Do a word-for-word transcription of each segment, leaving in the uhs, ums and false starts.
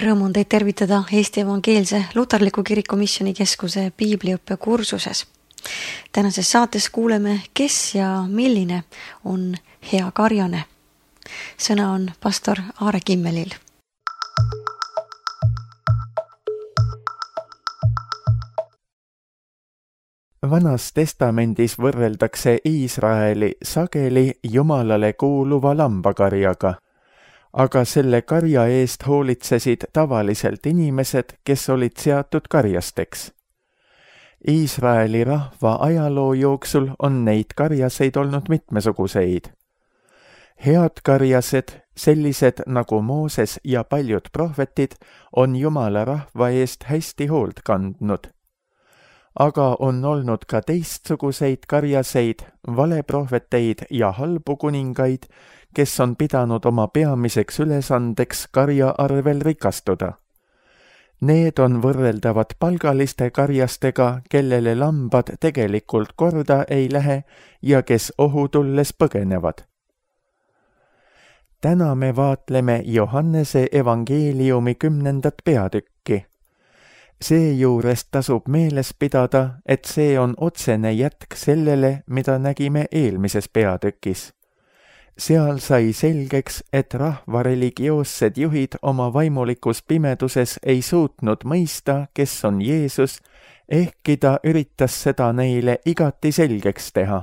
Rõõm on teid tervitada Eesti Evangeelse Luterliku Kiriku Missionikeskuse piibliõppe kursuses. Tänases saates kuuleme, kes ja milline on hea karjane. Sõna on pastor Aare Kimmelil. Vanas testamendis võrreldakse Iisraeli sageli Jumalale kuuluva lambakarjaga, aga selle karja eest hoolitsesid tavaliselt inimesed, kes olid seatud karjasteks. Iisraeli rahva ajaloo jooksul on neid karjaseid olnud mitmesuguseid. Head karjased, sellised nagu Mooses ja paljud prohvetid, on Jumala rahva eest hästi hoolt kandnud. Aga on olnud ka teistsuguseid karjaseid, valeprohveteid ja halbu kuningaid, kes on pidanud oma peamiseks ülesandeks karja arvel rikastuda. Need on võrreldavad palgaliste karjastega, kellele lambad tegelikult korda ei lähe ja kes ohu tulles põgenevad. Täna me vaatleme Johannese evangeeliumi kümnendat peatükki. Seejuures tasub meeles pidada, et see on otsene jätk sellele, mida nägime eelmises peatükis. Seal sai selgeks, et rahva religioossed juhid oma vaimulikus pimeduses ei suutnud mõista, kes on Jeesus, ehkki ta üritas seda neile igati selgeks teha.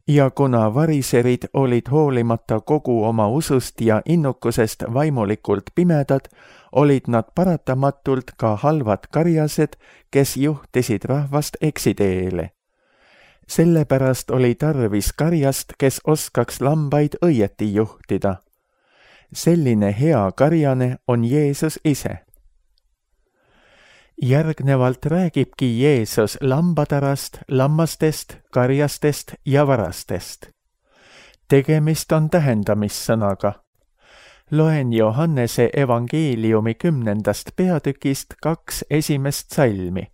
Ja kuna variserid olid hoolimata kogu oma usust ja innukusest vaimulikult pimedad, olid nad paratamatult ka halvad karjased, kes juhtisid rahvast eksiteele. Sellepärast oli tarvis karjast, kes oskaks lambaid õieti juhtida. Selline hea karjane on Jeesus ise. Järgnevalt räägibki Jeesus lambatarast, lammastest, karjastest ja varastest. Tegemist on tähendamissõnaga. Loen Johannese evangeeliumi kümnendast peatükist kaks esimest salmi.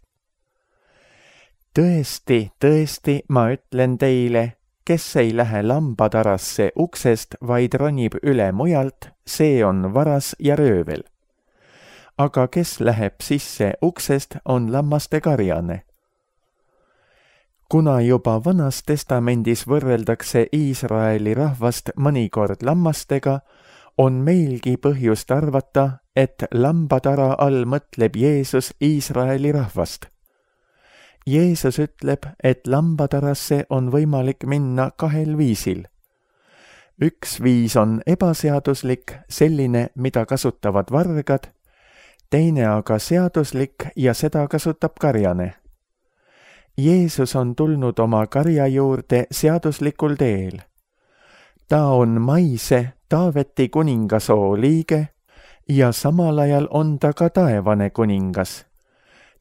Tõesti, tõesti, ma ütlen teile, kes ei lähe lambatarasse uksest, vaid ronib üle mujalt, see on varas ja röövel. Aga kes läheb sisse uksest, on lammaste karjane. Kuna juba Vanas testamendis võrreldakse Iisraeli rahvast mõnikord lammastega, on meilgi põhjust arvata, et lambatara all mõtleb Jeesus Iisraeli rahvast. Jeesus ütleb, et lambatarasse on võimalik minna kahel viisil. Üks viis on ebaseaduslik, selline, mida kasutavad vargad, teine aga seaduslik ja seda kasutab karjane. Jeesus on tulnud oma karja juurde seaduslikul teel. Ta on maise Taaveti kuningasoo liige ja samal ajal on ta ka taevane kuningas.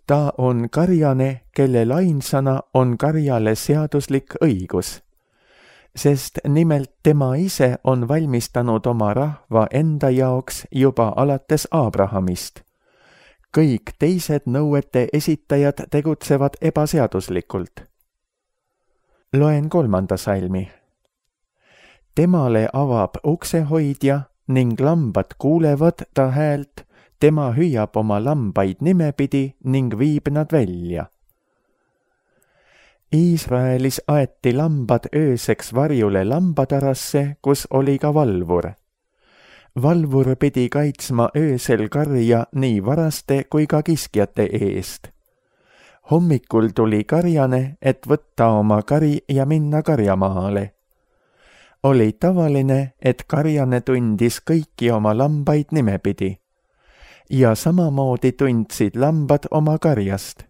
Ta on karjane, kellel ainsana on karjale seaduslik õigus, sest nimelt tema ise on valmistanud oma rahva enda jaoks juba alates Abrahamist. Kõik teised nõuete esitajad tegutsevad ebaseaduslikult. Loen kolmanda salmi. Temale avab uksehoidja ning lambad kuulevad ta häält, tema hüüab oma lambaid nimepidi ning viib nad välja. Iisraelis aeti lambad ööseks varjule lambatarasse, kus oli ka valvur. Valvur pidi kaitsma öösel karja nii varaste kui ka kiskjate eest. Hommikul tuli karjane, et võtta oma kari ja minna karjamaale. Oli tavaline, et karjane tundis kõiki oma lambaid nimepidi. Ja samamoodi tundsid lambad oma karjast.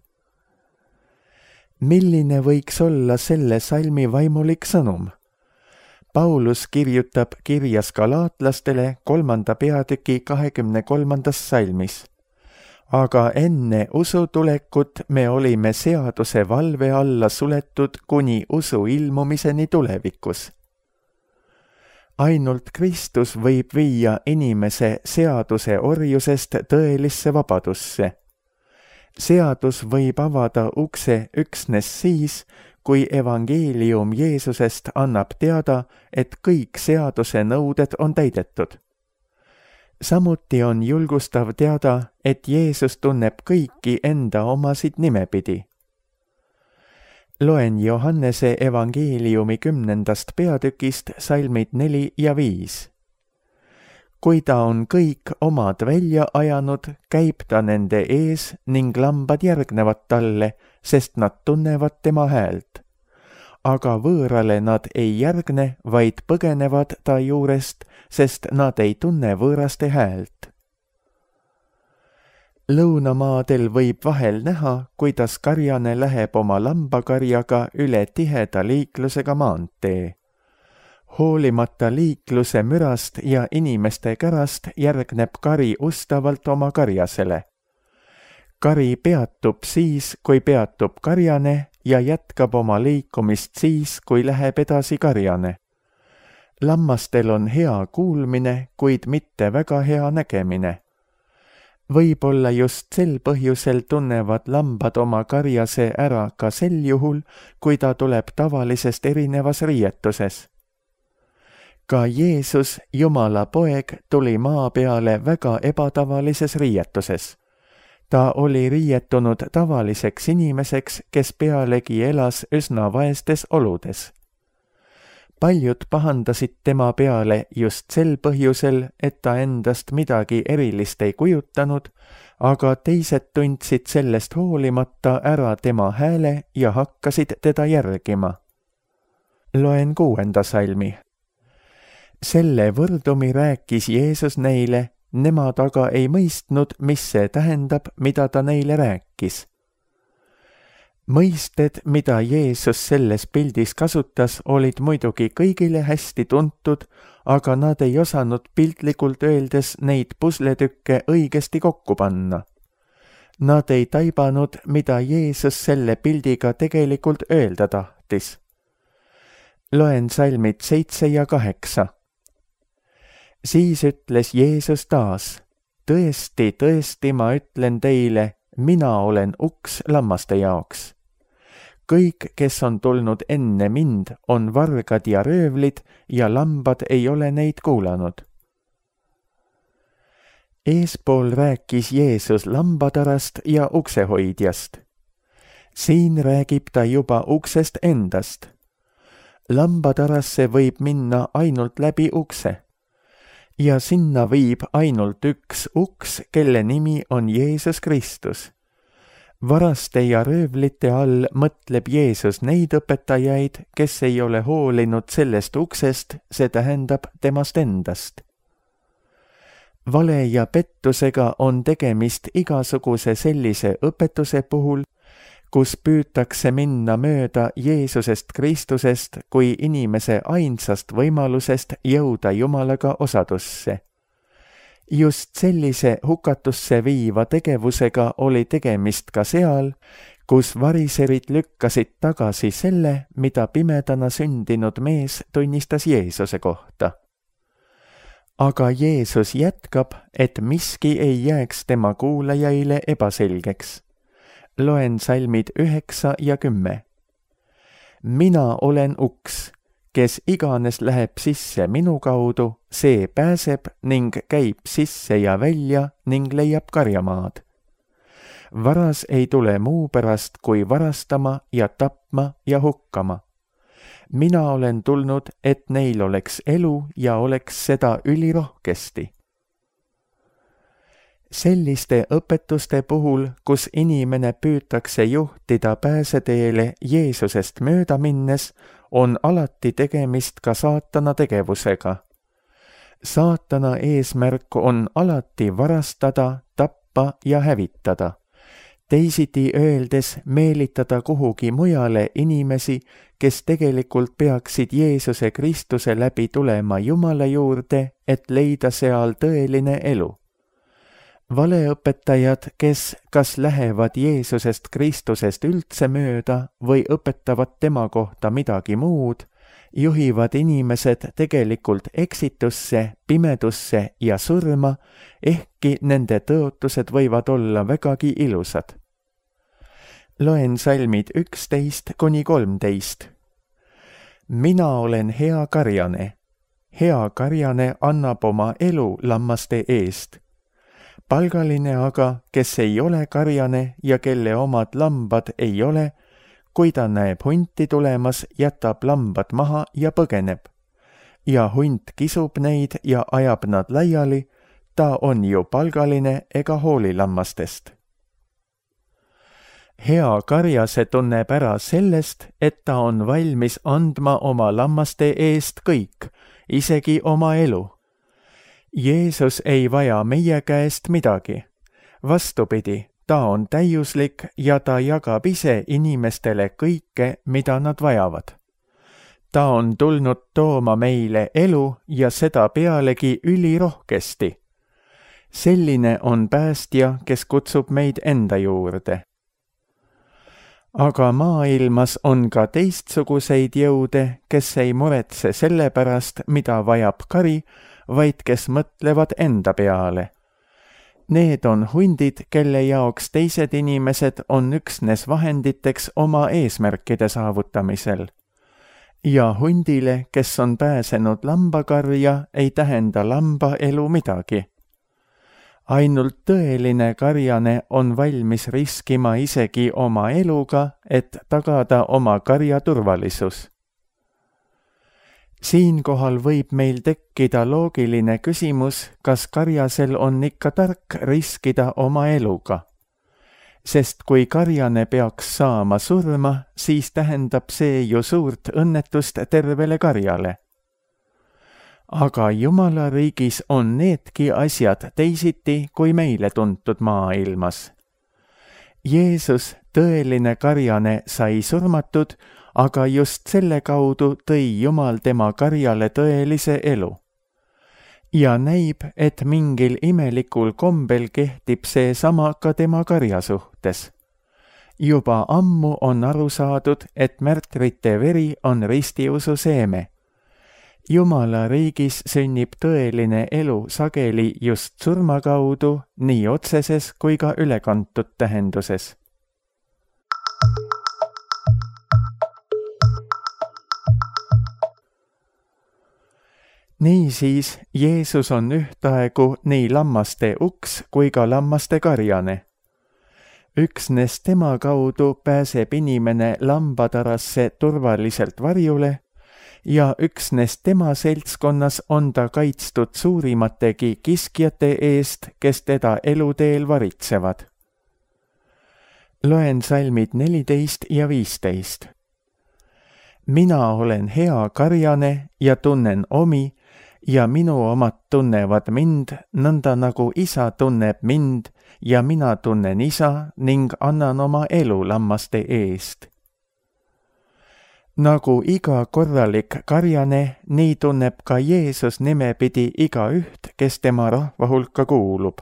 Milline võiks olla selle salmi vaimulik sõnum? Paulus kirjutab kirjas galaatlastele kolmanda peatüki kahekümne kolmandas salmis. Aga enne usu tulekut me olime seaduse valve alla suletud kuni usu ilmumiseni tulevikus. Ainult Kristus võib viia inimese seaduse orjusest tõelisse vabadusse. Seadus võib avada ukse üksnes siis, kui evangeelium Jeesusest annab teada, et kõik seaduse nõuded on täidetud. samuti on julgustav teada, et Jeesus tunneb kõiki enda omasid nimepidi. Loen Johannese evangeeliumi kümnendast peatükist salmid neli ja viis. Kui ta on kõik omad välja ajanud, käib ta nende ees ning lambad järgnevad talle, sest nad tunnevad tema häält. Aga võõrale nad ei järgne, vaid põgenevad ta juurest, sest nad ei tunne võõraste häält. Lõunamaadel võib vahel näha, kuidas karjane läheb oma lambakarjaga üle tiheda liiklusega maantee. Hoolimata liikluse mürast ja inimeste kärast järgneb kari ustavalt oma karjasele. Kari peatub siis, kui peatub karjane ja jätkab oma liikumist siis, kui läheb edasi karjane. Lammastel on hea kuulmine, kuid mitte väga hea nägemine. Võib-olla just sel põhjusel tunnevad lambad oma karjase ära ka sel juhul, kui ta tuleb tavalisest erinevas riietuses. Ka Jeesus, Jumala poeg, tuli maa peale väga ebatavalises riietuses. Ta oli riietunud tavaliseks inimeseks, kes pealegi elas üsna vaestes oludes. Paljud pahandasid tema peale just sel põhjusel, et ta endast midagi erilist ei kujutanud, aga teised tundsid sellest hoolimata ära tema hääle ja hakkasid teda järgima. Loen kuuenda salmi. Selle võrdumi rääkis Jeesus neile, nemad aga ei mõistnud, mis see tähendab, mida ta neile rääkis. Mõisted, mida Jeesus selles pildis kasutas, olid muidugi kõigile hästi tuntud, aga nad ei osanud piltlikult öeldes neid pusletükke õigesti kokku panna. Nad ei taibanud, mida Jeesus selle pildiga tegelikult öelda tahtis. Loen salmid seitse ja kaheksa. Siis ütles Jeesus taas, tõesti, tõesti, ma ütlen teile, mina olen uks lammaste jaoks. Kõik, kes on tulnud enne mind, on vargad ja röövlid ja lambad ei ole neid kuulanud. Eespool rääkis Jeesus lambatarast ja uksehoidjast. Siin räägib ta juba uksest endast. Lambatarasse võib minna ainult läbi ukse. Ja sinna viib ainult üks uks, kelle nimi on Jeesus Kristus. Varaste ja röövlite all mõtleb Jeesus neid õpetajaid, kes ei ole hoolinud sellest uksest, see tähendab temast endast. Vale ja pettusega on tegemist igasuguse sellise õpetuse puhul, kus püütakse minna mööda Jeesusest Kristusest kui inimese ainsast võimalusest jõuda Jumalaga osadusse. Just sellise hukatusse viiva tegevusega oli tegemist ka seal, kus variserid lükkasid tagasi selle, mida pimedana sündinud mees tunnistas Jeesuse kohta. Aga Jeesus jätkab, et miski ei jääks tema kuulajaile ebaselgeks. Loen salmid üheksa ja kümme. Mina olen uks. Kes iganes läheb sisse minu kaudu, see pääseb ning käib sisse ja välja ning leiab karjamaad. Varas ei tule muu pärast kui varastama ja tapma ja hukkama. Mina olen tulnud, et neil oleks elu ja oleks seda ülirohkesti. Selliste õpetuste puhul, kus inimene püütakse juhtida pääseteele Jeesusest mööda minnes, on alati tegemist ka saatana tegevusega. Saatana eesmärk on alati varastada, tappa ja hävitada. Teisiti öeldes meelitada kuhugi mujale inimesi, kes tegelikult peaksid Jeesuse Kristuse läbi tulema Jumala juurde, et leida seal tõeline elu. Valeõpetajad, kes kas lähevad Jeesusest Kristusest üldse mööda või õpetavad tema kohta midagi muud, juhivad inimesed tegelikult eksitusse, pimedusse ja surma, ehkki nende tõotused võivad olla vägagi ilusad. Loen salmid üksteist kuni kolmteist. Mina olen hea karjane. hea karjane annab oma elu lammaste eest. Palgaline aga, kes ei ole karjane ja kelle omad lambad ei ole, kui ta näeb hunti tulemas, jätab lambad maha ja põgeneb. Ja hunt kisub neid ja ajab nad laiali, ta on ju palgaline ega hooli lammastest. Hea karjase tunneb ära sellest, et ta on valmis andma oma lammaste eest kõik, isegi oma elu. Jeesus ei vaja meie käest midagi. Vastupidi, ta on täiuslik ja ta jagab ise inimestele kõike, mida nad vajavad. Ta on tulnud tooma meile elu ja seda pealegi ülirohkesti. Selline on päästja, kes kutsub meid enda juurde. Aga maailmas on ka teistsuguseid jõude, kes ei muretse selle pärast, mida vajab kari, vaid kes mõtlevad enda peale. Need on hundid, kelle jaoks teised inimesed on üksnes vahenditeks oma eesmärkide saavutamisel. Ja hundile, kes on pääsenud lambakarja, ei tähenda lamba elu midagi. Ainult tõeline karjane on valmis riskima isegi oma eluga, et tagada oma karja turvalisus. Siinkohal võib meil tekkida loogiline küsimus, kas karjasel on ikka tark riskida oma eluga. Sest kui karjane peaks saama surma, siis tähendab see ju suurt õnnetust tervele karjale. Aga Jumala riigis on needki asjad teisiti kui meile tuntud maailmas. Jeesus, tõeline karjane, sai surmatud, aga just selle kaudu tõi Jumal tema karjale tõelise elu. Ja näib, et mingil imelikul kombel kehtib see sama ka tema karja suhtes. Juba ammu on aru saadud, et märtrite veri on ristiusu seeme. Jumala riigis sünnib tõeline elu sageli just surma kaudu, nii otseses kui ka ülekantud tähenduses. Niisiis, Jeesus on ühtaegu nii lammaste uks kui ka lammaste karjane. Üksnes tema kaudu pääseb inimene lambatarasse turvaliselt varjule ja üksnes tema seltskonnas on ta kaitstud suurimategi kiskjate eest, kes teda eluteel varitsevad. Loen salmid neliteist ja viisteist. Mina olen hea karjane ja tunnen omi, ja minu omad tunnevad mind, nõnda nagu isa tunneb mind ja mina tunnen isa ning annan oma elu lammaste eest. Nagu iga korralik karjane, nii tunneb ka Jeesus nimepidi igaüht, kes tema rahva hulka kuulub.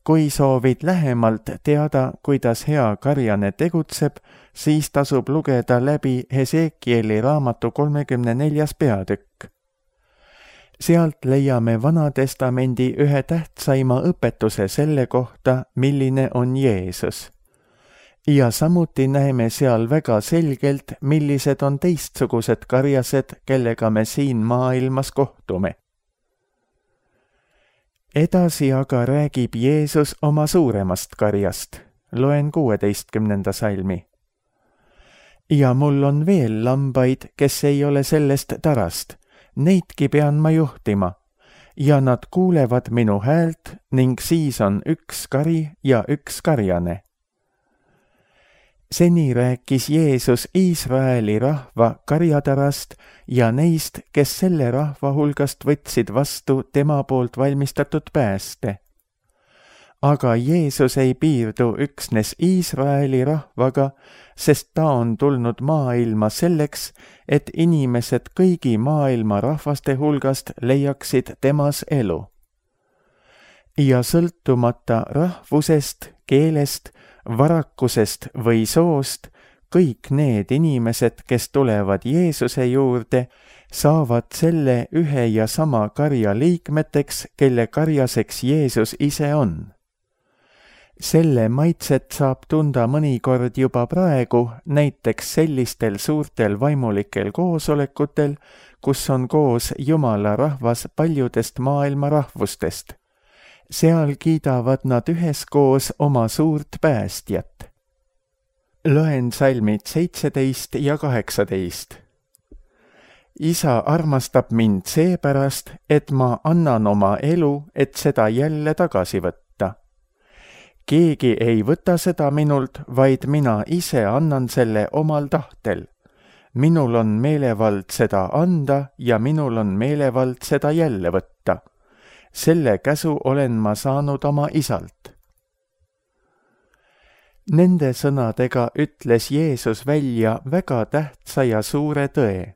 Kui soovid lähemalt teada, kuidas hea karjane tegutseb, siis tasub lugeda läbi Hesekieli raamatu kolmekümne neljas peatükk. Sealt leiame Vanatestamendi ühe tähtsaima õpetuse selle kohta, milline on Jeesus. Ja samuti näeme seal väga selgelt, millised on teistsugused karjased, kellega me siin maailmas kohtume. Edasi aga räägib Jeesus oma suuremast karjast. Loen kuueteistkümnenda salmi. Ja mul on veel lambaid, kes ei ole sellest tarast. Neidki pean ma juhtima. Ja nad kuulevad minu häält ning siis on üks kari ja üks karjane. Seni rääkis Jeesus Iisraeli rahva karjatarast ja neist, kes selle rahva hulgast võtsid vastu tema poolt valmistatud pääste. Aga Jeesus ei piirdu üksnes Iisraeli rahvaga, sest ta on tulnud maailma selleks, et inimesed kõigi maailma rahvaste hulgast leiaksid temas elu. Ja sõltumata rahvusest, keelest, varakusest või soost, kõik need inimesed, kes tulevad Jeesuse juurde, saavad selle ühe ja sama karja liikmeteks, kelle karjaseks Jeesus ise on. Selle maitset saab tunda mõnikord juba praegu, näiteks sellistel suurtel vaimulikel koosolekutel, kus on koos Jumala rahvas paljudest maailma rahvustest. Seal kiidavad nad üheskoos oma suurt päästjat. Loen salmid seitseteist ja kaheksateist. Isa armastab mind seepärast, et ma annan oma elu, et seda jälle tagasi võtta. Keegi ei võta seda minult, vaid mina ise annan selle omal tahtel. Minul on meelevald seda anda ja minul on meelevald seda jälle võtta. Selle käsu olen ma saanud oma isalt. Nende sõnadega ütles Jeesus välja väga tähtsa ja suure tõe.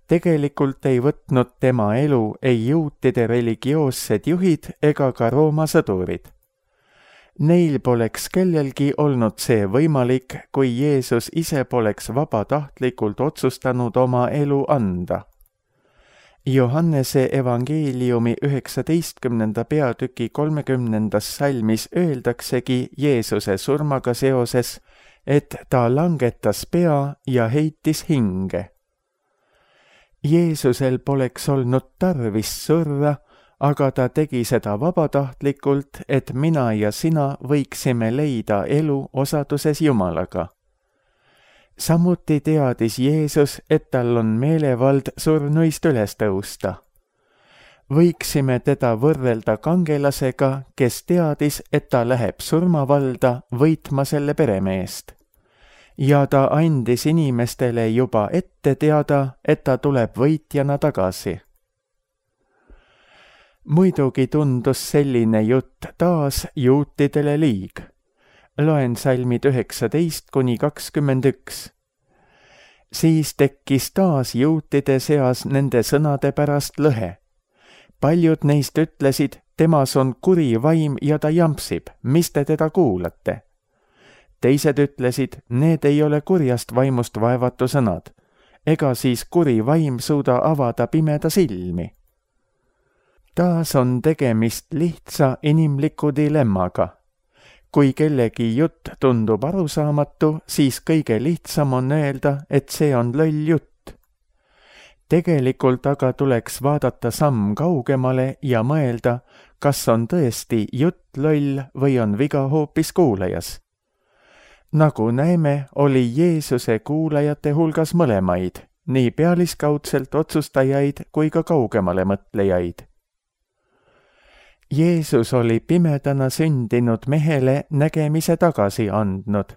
Tegelikult ei võtnud tema elu ei juutide religioossed juhid ega ka Rooma sõdurid. Neil poleks kellelgi olnud see võimalik, kui Jeesus ise poleks vabatahtlikult otsustanud oma elu anda. Johannese evangeeliumi üheksateistkümnenda peatüki kolmekümnendas salmis öeldaksegi Jeesuse surmaga seoses, et ta langetas pea ja heitis hinge. Jeesusel poleks olnud tarvis surra, aga ta tegi seda vabatahtlikult, et mina ja sina võiksime leida elu osaduses Jumalaga. Samuti teadis Jeesus, et tal on meelevald surnuist üles tõusta. Võiksime teda võrrelda kangelasega, kes teadis, et ta läheb surmavalda võitma selle peremeest. Ja ta andis inimestele juba ette teada, et ta tuleb võitjana tagasi. Muidugi tundus selline jutt taas juutidele liig. Loen salmid üheksateist kuni kakskümmend üks. Siis tekkis taas juutide seas nende sõnade pärast lõhe. Paljud neist ütlesid, temas on kuri vaim ja ta jampsib, mis te teda kuulate? Teised ütlesid, need ei ole kurjast vaimust vaevatu sõnad, ega siis kuri vaim suuda avada pimeda silmi. Taas on tegemist lihtsa inimliku dilemmaga. Kui kellegi jutt tundub arusaamatu, siis kõige lihtsam on öelda, et see on loll jutt. Tegelikult aga tuleks vaadata samm kaugemale ja mõelda, kas on tõesti jutt loll või on viga hoopis kuulajas. Nagu näeme, oli Jeesuse kuulajate hulgas mõlemaid, nii pealiskaudselt otsustajaid kui ka kaugemale mõtlejaid. Jeesus oli pimedana sündinud mehele nägemise tagasi andnud.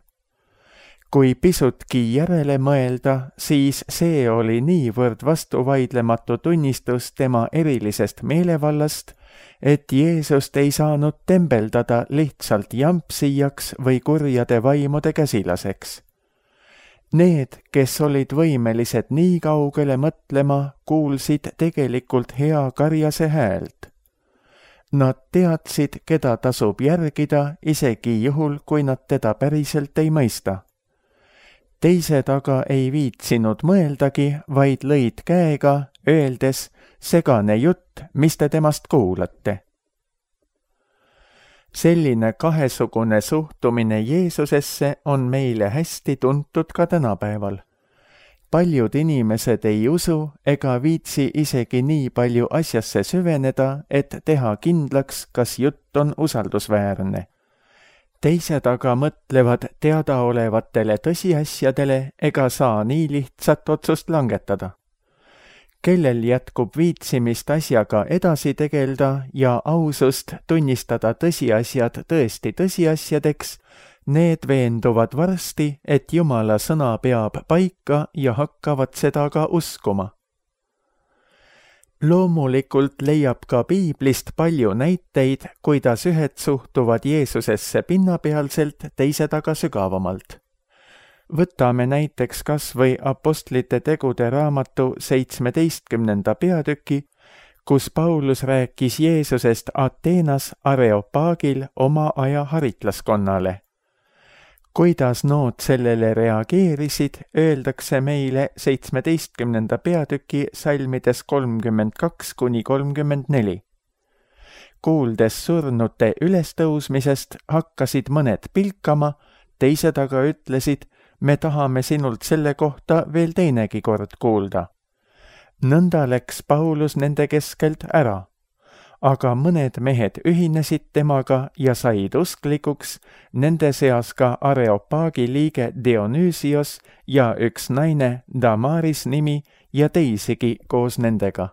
Kui pisutki järele mõelda, siis see oli niivõrd vastuvaidlematu tunnistus tema erilisest meelevallast, et Jeesust ei saanud tembeldada lihtsalt jampsijaks või kurjade vaimude käsilaseks. Need, kes olid võimelised nii kaugele mõtlema, kuulsid tegelikult hea karjase häält. Nad teadsid, keda tasub järgida, isegi juhul, kui nad teda päriselt ei mõista. Teised aga ei viitsinud mõeldagi, vaid lõid käega, öeldes, segane jutt, mis te temast kuulate. Selline kahesugune suhtumine Jeesusesse on meile hästi tuntud ka tänapäeval. Paljud inimesed ei usu ega viitsi isegi nii palju asjasse süveneda, et teha kindlaks, kas jutt on usaldusväärne. Teised aga mõtlevad teadaolevatele tõsiasjadele ega saa nii lihtsat otsust langetada. Kellel jätkub viitsimist asjaga edasi tegelda ja ausust tunnistada tõsiasjad tõesti tõsiasjadeks, need veenduvad varsti, et Jumala sõna peab paika ja hakkavad seda ka uskuma. Loomulikult leiab ka piiblist palju näiteid, kuidas ühed suhtuvad Jeesusesse pinnapealselt, teised aga sügavamalt. Võtame näiteks kas või Apostlite tegude raamatu seitsmeteistkümnenda peatüki, kus Paulus rääkis Jeesusest Ateenas Areopagil oma aja haritlaskonnale. Kuidas nood sellele reageerisid, öeldakse meile seitsmeteistkümnenda peatüki salmides kolmkümmend kaks kuni kolmkümmend neli. Kuuldes surnute ülestõusmisest, hakkasid mõned pilkama, teised aga ütlesid, me tahame sinult selle kohta veel teinegi kord kuulda. nõnda läks Paulus nende keskelt ära, aga mõned mehed ühinesid temaga ja said usklikuks, nende seas ka Areopaagi liige Dionüüsios ja üks naine Damaris nimi ja teisigi koos nendega.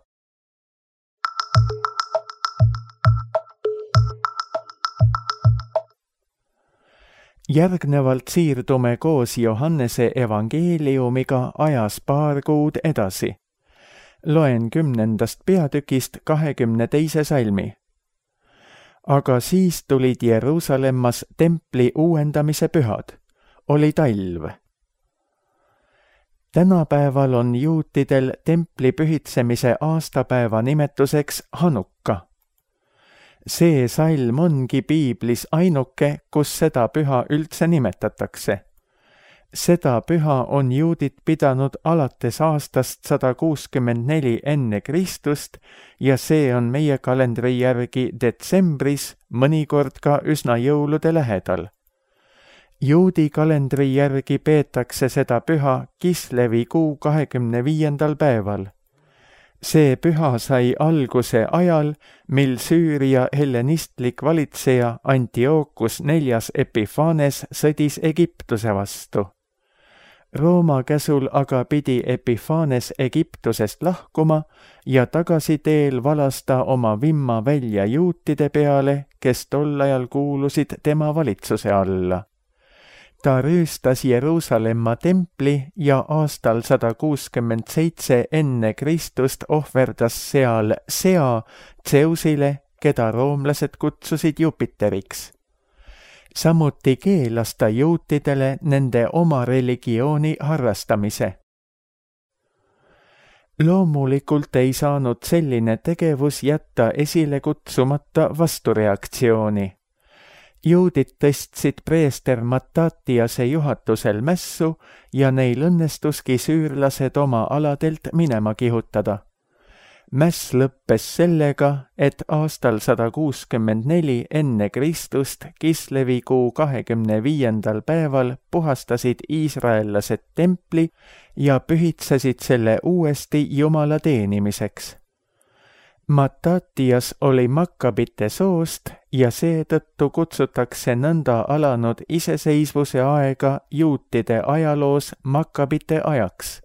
Järgnevalt siirdume koos Johannese evangeeliumiga ajas paar kuud edasi. Loen kümnendast peatükist kahekümne teise salmi. Aga siis tulid Jeruusalemmas templi uuendamise pühad. Oli talv. Tänapäeval on juutidel templi pühitsemise aastapäeva nimetuseks Hanukka. See salm ongi piiblis ainuke, kus seda püha üldse nimetatakse. Seda püha on juudid pidanud alates aastast sada kuuskümmend neli enne Kristust ja see on meie kalendri järgi detsembris, mõnikord ka üsna jõulude lähedal. Juudi kalendri järgi peetakse seda püha Kislevi kuu kahekümne viiendal päeval. See püha sai alguse ajal, mil Süüria hellenistlik valitseja Antiochus neljas Epiphanes sõdis Egiptuse vastu. Rooma käsul aga pidi Epiphanes Egiptusest lahkuma ja tagasiteel valas ta oma vimma välja juutide peale, kes tol ajal kuulusid tema valitsuse alla. Ta rüüstas Jeruusalemma templi ja aastal sada kuuskümmend seitse enne Kristust ohverdas seal sea Zeusile, keda roomlased kutsusid Jupiteriks. Samuti keelas ta juutidele nende oma religiooni harrastamise. Loomulikult ei saanud selline tegevus jätta esile kutsumata vastureaktsiooni. Juudid tõstsid preester Mattatiase juhatusel mässu ja neil õnnestuski süürlased oma aladelt minema kihutada. Mäss lõppes sellega, et aastal sada kuuskümmend neli enne Kristust Kislevi kuu kahekümne viiendal päeval puhastasid iisraellased templi ja pühitsesid selle uuesti Jumala teenimiseks. Mattatias oli Makkabite soost ja seetõttu kutsutakse nõnda alanud iseseisvuse aega juutide ajaloos Makkabite ajaks.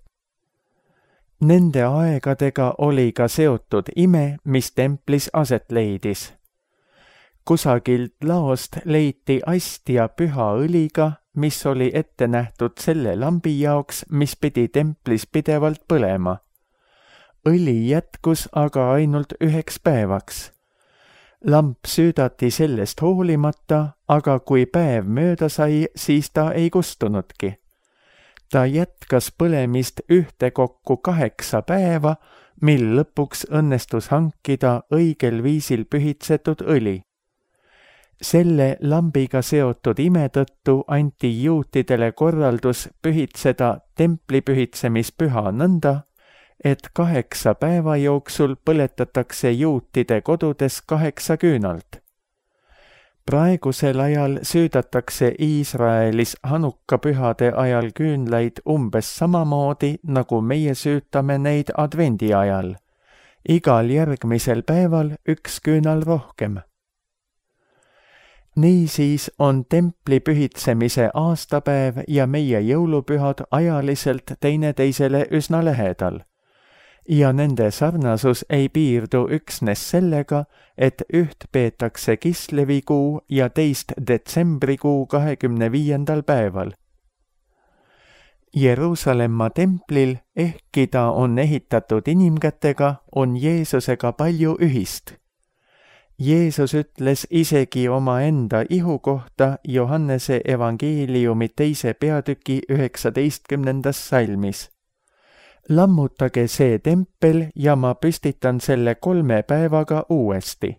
Nende aegadega oli ka seotud ime, mis templis aset leidis. Kusagilt laost leiti astia püha õliga, mis oli ette nähtud selle lambi jaoks, mis pidi templis pidevalt põlema. Õli jätkus aga ainult üheks päevaks. Lamp süüdati sellest hoolimata, aga kui päev mööda sai, siis ta ei kustunudki. Ta jätkas põlemist ühtekokku kaheksa päeva, mil lõpuks õnnestus hankida õigel viisil pühitsetud õli. Selle lambiga seotud ime tõttu anti juutidele korraldus pühitseda templi pühitsemispüha nõnda, et kaheksa päeva jooksul põletatakse juutide kodudes kaheksa küünalt. Praegusel ajal süüdatakse Iisraelis Hanukka pühade ajal küünlaid umbes samamoodi, nagu meie süütame neid advendi ajal. Igal järgmisel päeval üks küünal rohkem. Niisiis on templi pühitsemise aastapäev ja meie jõulupühad ajaliselt teineteisele üsna lähedal. Ja nende sarnasus ei piirdu üksnes sellega, et üht peetakse Kislevikuu ja teist detsembrikuu kahekümne viiendal päeval. Jeruusalemma templil, ehkki ta on ehitatud inimkätega, on Jeesusega palju ühist. Jeesus ütles isegi oma enda ihu kohta Johannese evangeeliumi teise peatüki üheksateistkümnendas salmis. Lammutage see tempel ja ma püstitan selle kolme päevaga uuesti.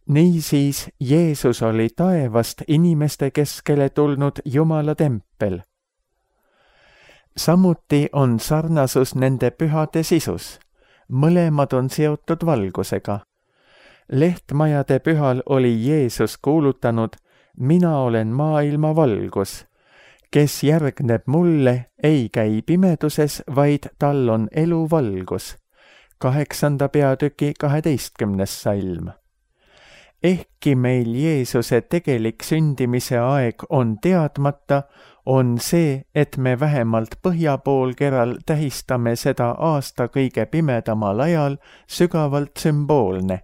Niisiis Jeesus oli taevast inimeste keskele tulnud Jumala tempel. Samuti on sarnasus nende pühade sisus. Mõlemad on seotud valgusega. Lehtmajade pühal oli Jeesus kuulutanud, mina olen maailma valgus. kes järgneb mulle, ei käi pimeduses, vaid tal on eluvalgus. Kaheksanda peatüki kaheteistkümnes salm. Ehkki meil Jeesuse tegelik sündimise aeg on teadmata, on see, et me vähemalt põhjapoolkeral tähistame seda aasta kõige pimedamal ajal, sügavalt sümboolne.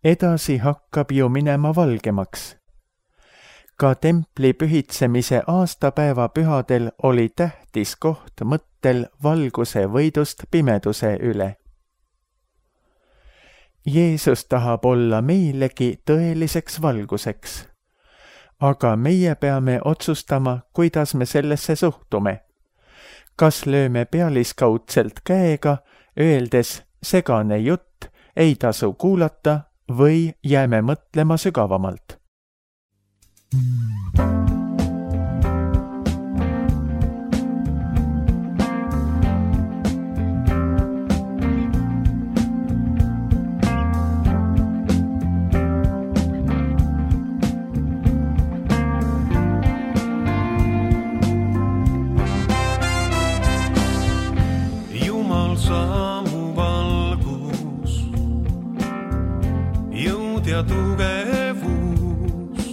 Edasi hakkab ju minema valgemaks. Ka templi pühitsemise aastapäeva pühadel oli tähtis koht mõttel valguse võidust pimeduse üle. Jeesus tahab olla meilegi tõeliseks valguseks. Aga meie peame otsustama, kuidas me sellesse suhtume. Kas lööme pealiskaudselt käega, öeldes segane jutt, ei tasu kuulata või jääme mõtlema sügavamalt. Ja tugevus,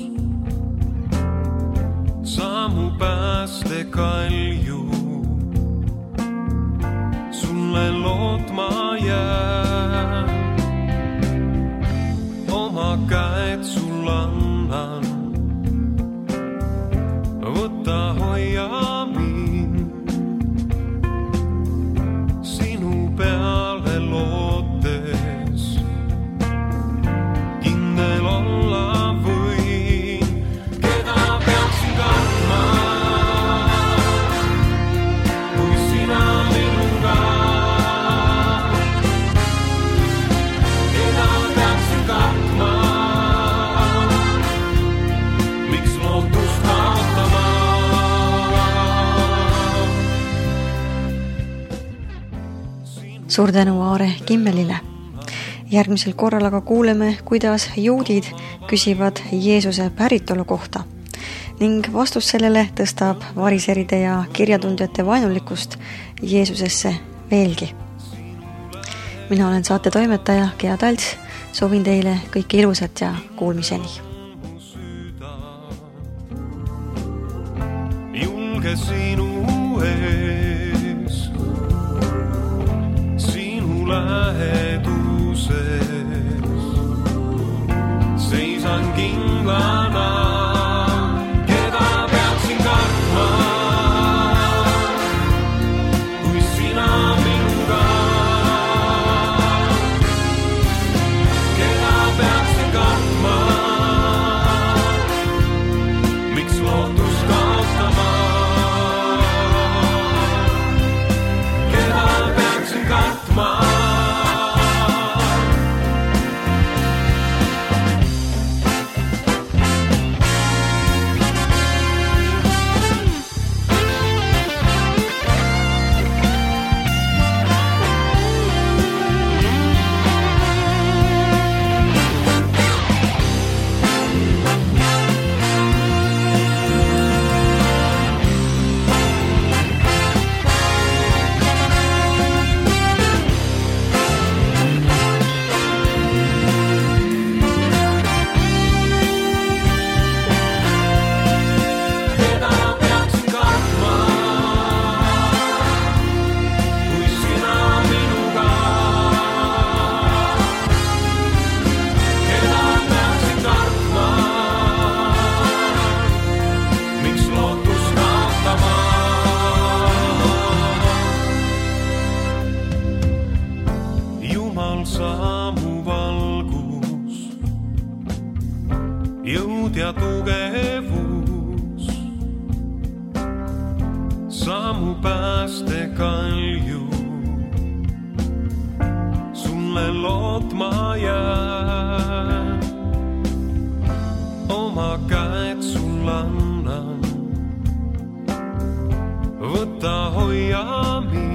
samu päästekalju, sulle lootma jää. Oma käed sul annan, võta hoia mind, sinu peale lootes. Olla võin, keda peaksin kartma, kui sina minuga. Keda peaksin kartma, miks lootust kaotama. Suur tänu Aare Kimmelile. Järgmisel korral aga kuuleme, kuidas juudid küsivad Jeesuse päritolu kohta ning vastus sellele tõstab variseride ja kirjatundjate vaenulikkust Jeesusesse veelgi. Mina olen saate toimetaja Gea Talts, soovin teile kõike ilusat ja kuulmiseni. Julge sinu ees, sinu lähedu. Seisan kindlana, keda peaksin kartma, kui sina minuga. Keda peaksin kartma, miks lootust kaotama. Keda peaksin kartma. Samu valgus, jõud ja tugevus, samu päästekalju, sulle lootma jää. Oma käed sul annan, võta hoia mind.